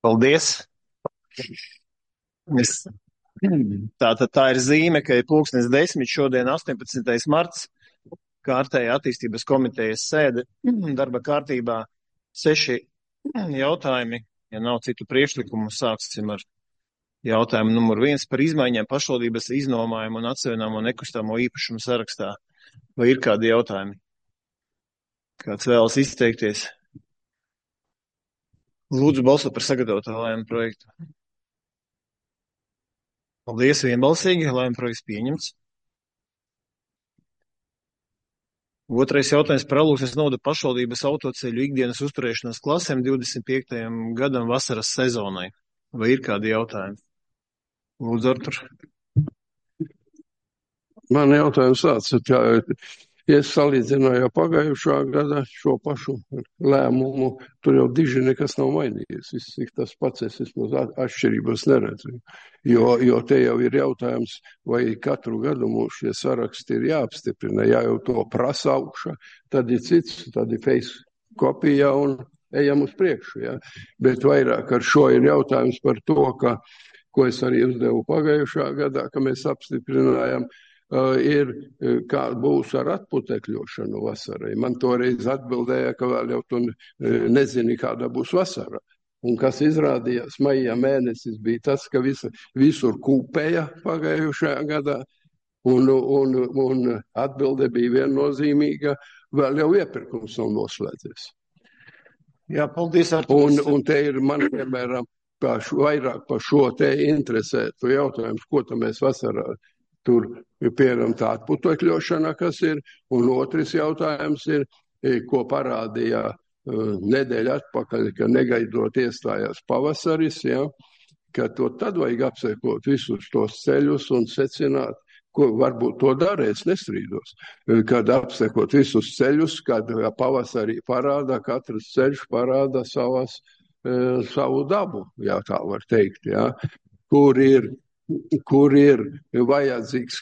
Paldies! Es, tā ir zīme, ka ir 10:00, šodien 18. marts, kārtēja attīstības komitejas sēde, darba kārtībā 6 jautājumi. Ja nav citu priekšlikumu, sāksim ar jautājumu numur 1 par izmaiņām pašvaldības iznomājumu un atseviļamo nekustamo īpašumu sarakstā. Vai ir kādi jautājumi? Kāds vēlas izteikties? Lūdzu balso par sagatavoto lēmumu projektu. Paldies, vienbalsīgi, lēmuma projekts pieņemts. Otrais jautājums par Alūksnes novada pašvaldības autoceļu ikdienas uzturēšanas klasēm 25. gadam vasaras sezonai. Vai ir kādi jautājumi? Lūdzu, Artur. Man jautājums tāds, ka ja es salīdzināju pagājušā gada šo pašu lēmumu, tur jau diži nekas nav mainījies. Viss ir tas pats, es vismaz atšķirības neredzu. Jo te jau ir jautājums, vai katru gadu mums šie saraksti ir jāapstiprina. Ja jau to prasa augšā, tad ir cits, tad ir face kopija un ejam uz priekšu. Ja? Bet vairāk ar šo ir jautājums par to, ko es arī uzdevu pagājušā gadā, ka mēs apstiprinājām, ir, kā būs ar atputekļošanu vasarai. Man toreiz atbildēja, ka vēl jau tu nezini, kāda būs vasara. Un kas izrādījās, maijā mēnesis bija tas, ka visur kūpēja pagājušajā gadā, un atbilde bija viennozīmīga, vēl jau iepirkums nav noslēdzies. Jā, paldies, Artur. Un te ir man, piemēram, vairāk par šo te interesētu jautājums, ko tam mēs vasarā tur, piemēram, tā atputekļošana, kas ir, un otrs jautājums ir, ko parādīja nedēļa atpakaļ, ka negaidot iestājās pavasaris, ja, ka to tad vajag apsekot visus tos ceļus un secināt, ko varbūt to dara, es nestrīdos, kad apsekot visus ceļus, kad pavasarī parāda, katrs ceļš parāda savu dabu, ja tā var teikt, ja, kur ir vajadzīgs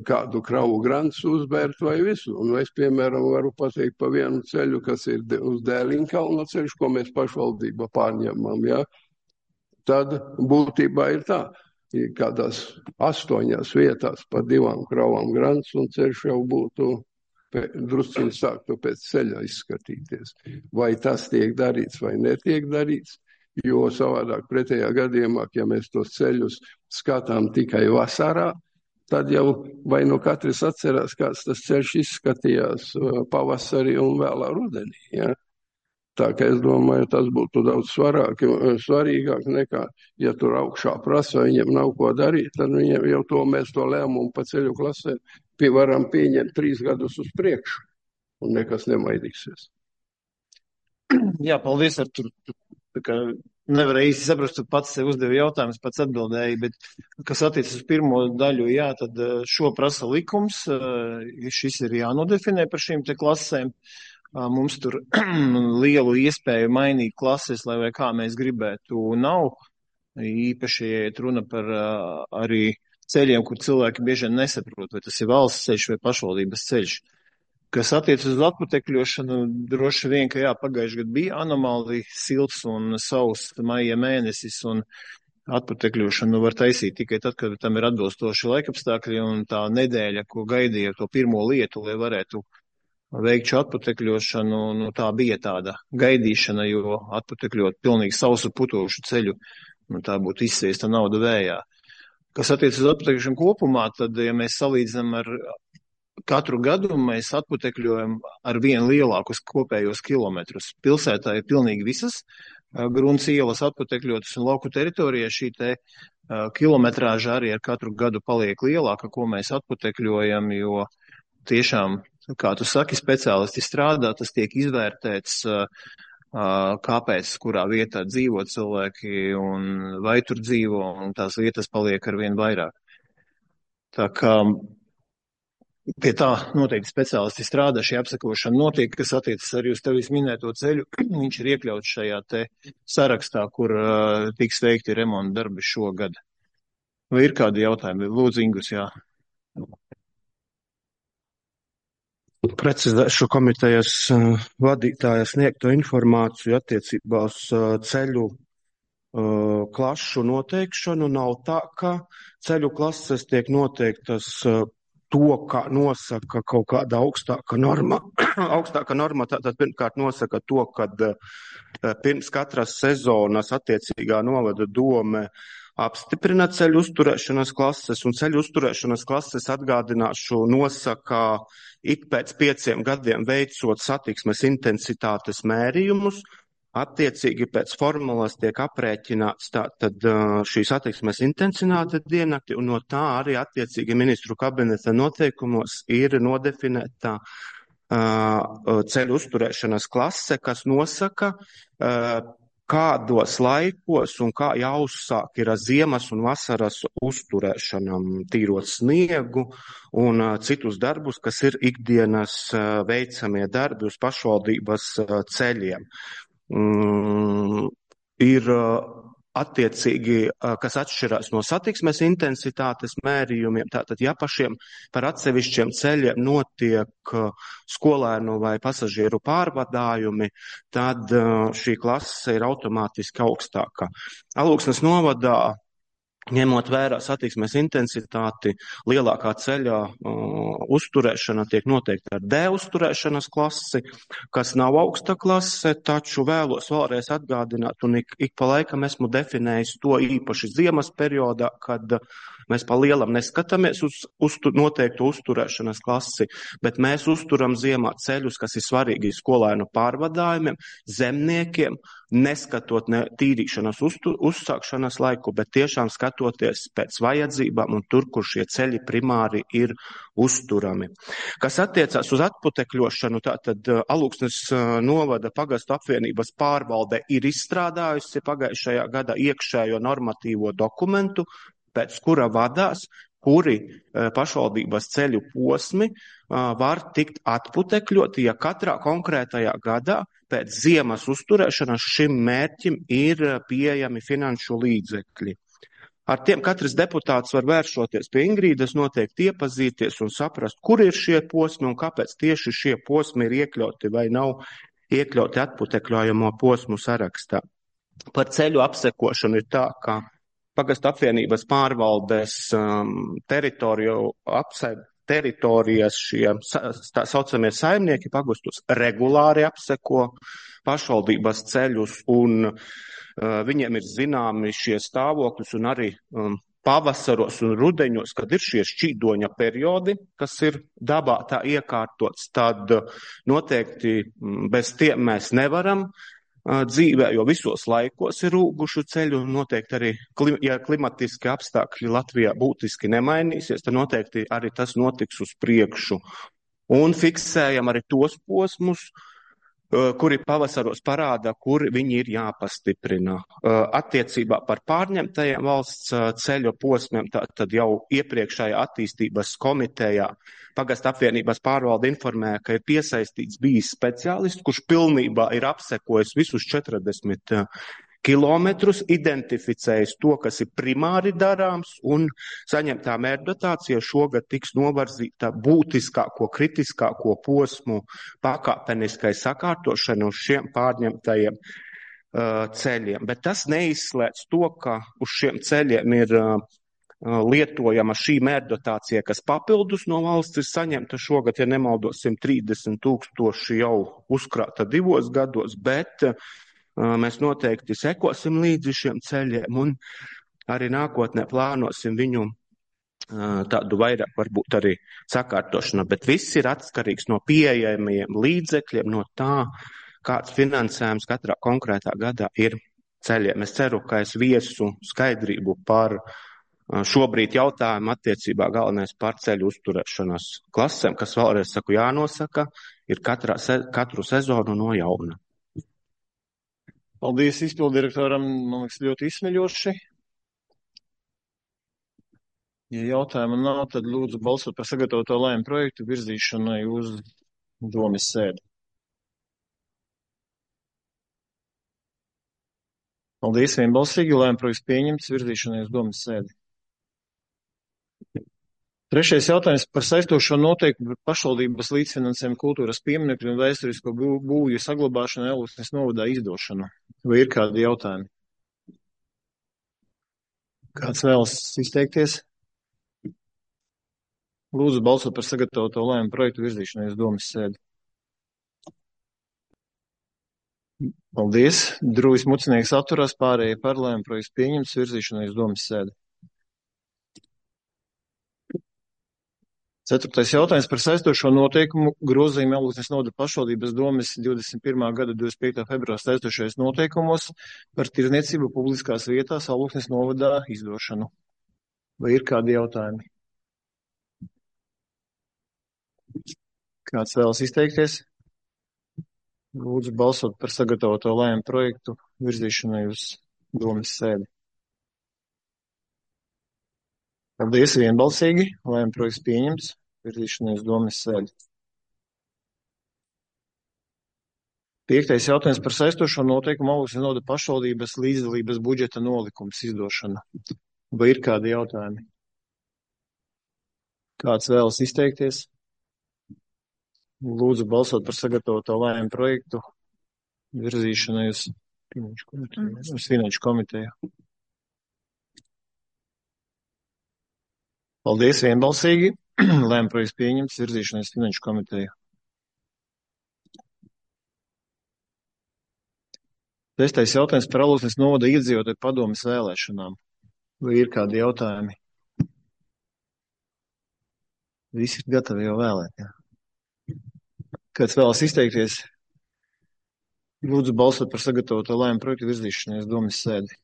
kādu kravu grants uzbērt vai visu. Un es, piemēram, varu pateikt pa vienu ceļu, kas ir uz Dēliņkalna ceļš, ko mēs pašvaldība pārņemam, ja? Tad būtībā ir tā, kādās 8 vietās pa 2 kravām grants un ceļš jau būtu drusciņi sāktu pēc ceļa izskatīties. Vai tas tiek darīts vai netiek darīts? Jo savādāk pretējā gadījumā, ja mēs tos ceļus skatām tikai vasarā, tad jau vai no katrs atcerās, kāds tas ceļš izskatījās pavasarī un vēlā rudenī. Ja? Tā kā es domāju, tas būtu daudz svarīgāk nekā, ja tur augšā prasa, viņiem nav ko darīt, tad viņiem jau mēs to lēmumu pa ceļu klasē varam pieņemt 3 gadus uz priekšu un nekas nemainīsies. Jā, paldies, Artur. Nevarēju īsti saprast, tu pats sev uzdevi jautājumus, pats atbildēji, bet kas attiecas uz pirmo daļu, jā, tad šo prasa likums, šis ir jānodefinē par šīm te klasēm. Mums tur lielu iespēju mainīt klases, lai vai kā mēs gribētu, nav. Īpaši, ja iet runa par arī ceļiem, kur cilvēki bieži nesaprot, vai tas ir valsts ceļš vai pašvaldības ceļš. Kas attiecas uz atputekļošanu, droši vien, ka jā, pagājuši gadu bija anomāli silts un sauss maija mēnesis, un atputekļošanu var taisīt tikai tad, kad tam ir atbilstoši laikapstākļi, un tā nedēļa, ko gaidīja to pirmo lietu, lai varētu veikt šo atputekļošanu, tā bija tāda gaidīšana, jo atputekļot pilnīgi sausu putošu ceļu, tā būtu izsviesta nauda vējā. Kas attiecas uz atputekļošanu kopumā, tad, ja mēs salīdzinām ar katru gadu, mēs atputekļojam ar vien lielākus kopējos kilometrus. Pilsētā ir pilnīgi visas grunts ielas atputekļotas, un lauku teritorijā šī te kilometrāža arī ar katru gadu paliek lielāka, ko mēs atputekļojam, jo tiešām, kā tu saki, speciālisti strādā, tas tiek izvērtēts, kāpēc, kurā vietā dzīvo cilvēki un vai tur dzīvo, un tās vietas paliek ar vien vairāk. Tā kā pie tā noteikti speciālisti strādā, šī apsekošana notiek, kas attiecas arī uz tevis minēto ceļu. Viņš ir iekļauts šajā te sarakstā, kur tiks veikti remonta darbi šogad. Vai ir kādi jautājumi? Lūdzu, Ingus, jā. Precizēšu komitejas vadītāja sniegto informāciju attiecībā uz ceļu klašu noteikšanu. Nav tā, ka ceļu klases tiek noteiktas to, kā nosaka kaut kāda augstāka norma. Augstāka norma tātad pirmkārt nosaka to, kad pirms katras sezonas attiecīgā novada dome apstiprina ceļu uzturēšanas klases, un ceļu uzturēšanas klases, atgādināšu, nosaka ik pēc 5 gadiem veicot satiksmes intensitātes mērījumus. Attiecīgi pēc formulas tiek aprēķināts tātad šī satiksmes intensitāte diennakti, un no tā arī attiecīgi ministru kabineta noteikumos ir nodefinēta ceļu uzturēšanas klase, kas nosaka, kādos laikos un kā jāuzsāk ir ziemas un vasaras uzturēšanam, tīrot sniegu un citus darbus, kas ir ikdienas veicamie darbi uz pašvaldības ceļiem. Ir attiecīgi, kas atšķirās no satiksmes intensitātes mērījumiem. Tātad, ja par atsevišķiem ceļiem notiek skolēnu vai pasažieru pārvadājumi, tad šī klase ir automātiski augstāka. Alūksnes novadā, ņemot vērā satiksmes intensitāti, lielākā ceļā uzturēšana tiek noteikta ar D uzturēšanas klasi, kas nav augsta klase, taču vēlos vēlreiz atgādināt, un ik pa laikam esmu definējis to īpaši ziemas periodā, kad mēs pa lielam neskatāmies uz noteiktu uzturēšanas klasi, bet mēs uzturam ziemā ceļus, kas ir svarīgi skolēnu pārvadājumiem, zemniekiem, neskatot ne tīrīšanas uzsākšanas laiku, bet tiešām skatoties pēc vajadzībām un tur, kur šie ceļi primāri ir uzturami. Kas attiecās uz atputekļošanu, tātad Alūksnes novada pagastu apvienības pārvalde ir izstrādājusi pagājušajā gadā iekšējo normatīvo dokumentu, pēc kura vadās, kuri pašvaldības ceļu posmi var tikt atputekļoti, ja katrā konkrētajā gadā pēc ziemas uzturēšanas šim mērķim ir pieejami finanšu līdzekļi. Ar tiem katrs deputāts var vēršoties pie Ingrīdas, noteikti iepazīties un saprast, kur ir šie posmi un kāpēc tieši šie posmi ir iekļauti vai nav iekļauti atputekļojamo posmu sarakstā. Par ceļu apsekošanu ir tā, ka pagastu apvienības pārvaldes teritorijas šie tā saucamie saimnieki pagastus regulāri apseko pašvaldības ceļus, un viņiem ir zināmi šie stāvokļus un arī pavasaros un rudeņos, kad ir šie šķīdoņa periodi, kas ir dabā tā iekārtots, tad noteikti bez tiem mēs nevaram dzīvē, jo visos laikos ir rūgušu ceļu, un noteikti arī, ja klimatiski apstākļi Latvijā būtiski nemainīsies, tad noteikti arī tas notiks uz priekšu. Un fiksējam arī tos posmus, kuri pavasaros parāda, kur viņi ir jāpastiprina. Attiecībā par pārņemtajiem valsts ceļu posmiem, tad jau iepriekšējā attīstības komitejā pagastu apvienības pārvalde informēja, ka ir piesaistīts bijis speciālists, kurš pilnībā ir apsekojis visus 40 kilometrus, identificējis to, kas ir primāri darāms, un saņemtā mērķdotācija šogad tiks novarzīta būtiskāko, kritiskāko posmu pakāpeniskai sakārtošanu uz šiem pārņemtajiem ceļiem. Bet tas neizslēdz to, ka uz šiem ceļiem ir lietojama šī mērķdotācija, kas papildus no valsts ir saņemta šogad, ja nemaldos, 130 000 jau uzkrāta 2 gados, bet mēs noteikti sekosim līdzi šiem ceļiem un arī nākotnē plānosim viņu tādu vairāk varbūt arī sakārtošanu, bet viss ir atkarīgs no pieejamiem līdzekļiem, no tā, kāds finansējums katrā konkrētā gadā ir ceļiem. Es ceru, ka es viesu skaidrību par šobrīd jautājumu attiecībā galvenais par ceļu uzturēšanas klasēm, kas vēlreiz saku jānosaka, ir katru sezonu no jauna. Paldies izpildirektoram, man liekas, ļoti izsmeļoši. Ja jautājumu nav, tad lūdzu balsot par sagatavoto lēmumu projektu virzīšanai uz domes sēdi. Paldies, vienbalsīgi, lēmumu projekts pieņemts virzīšanai uz domes sēdi. Trešais jautājums par saistošo noteikumu par pašvaldības līdzfinansējumu kultūras pieminekļu un vēsturisko būvju saglabāšanu Alūksnes novadā izdošanu. Vai ir kādi jautājumi? Kāds vēlas izteikties? Lūdzu balsot par sagatavoto lēmumu projektu virzīšanai uz domas sēdi. Paldies. Drūvis Mucinieks atturās, pārējie par lēmumu projektu pieņemts virzīšanai uz domas sēdi. 4. jautājums par saistošo noteikumu grozījumu Alūksnes novada pašvaldības domes 21. gada 25. februāra saistošais noteikumos par tirdzniecību publiskās vietās Alūksnes novadā izdošanu. Vai ir kādi jautājumi? Kāds vēlas izteikties? Lūdzu balsot par sagatavoto lēmumu projektu virzīšanai uz domas sēdi. Paldies, vienbalsīgi. Lēmuma projekts pieņemts. Virzīšanai uz domas sēdi. 5. jautājums par saistošo noteikumu Alūksnes novada pašvaldības līdzdalības budžeta nolikums izdošana. Vai ir kādi jautājumi? Kāds vēlas izteikties? Lūdzu balsot par sagatavoto lēmumu projektu virzīšanai uz Finanšu komiteju. Paldies, vienbalsīgi. Lēmuma projekts pieņemts, virzīšanai uz Finanšu komiteju. 6. jautājums par Alūksnes novada iedzīvotāju padomes vēlēšanām. Vai ir kādi jautājumi? Visi ir gatavi jau vēlēt, jā. Kāds vēlas izteikties? Lūdzu balsot par sagatavoto lēmumu projektu virzīšanai uz domas sēdi.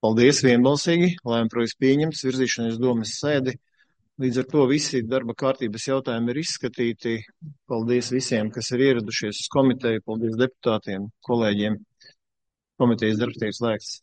Paldies, vienbalsīgi. Lēmuma projekts pieņemts, virzīšanai uz domas sēdi. Līdz ar to visi darba kārtības jautājumi ir izskatīti. Paldies visiem, kas ir ieradušies uz komiteju. Paldies deputātiem, kolēģiem. Komitejas darbs tiek slēgts.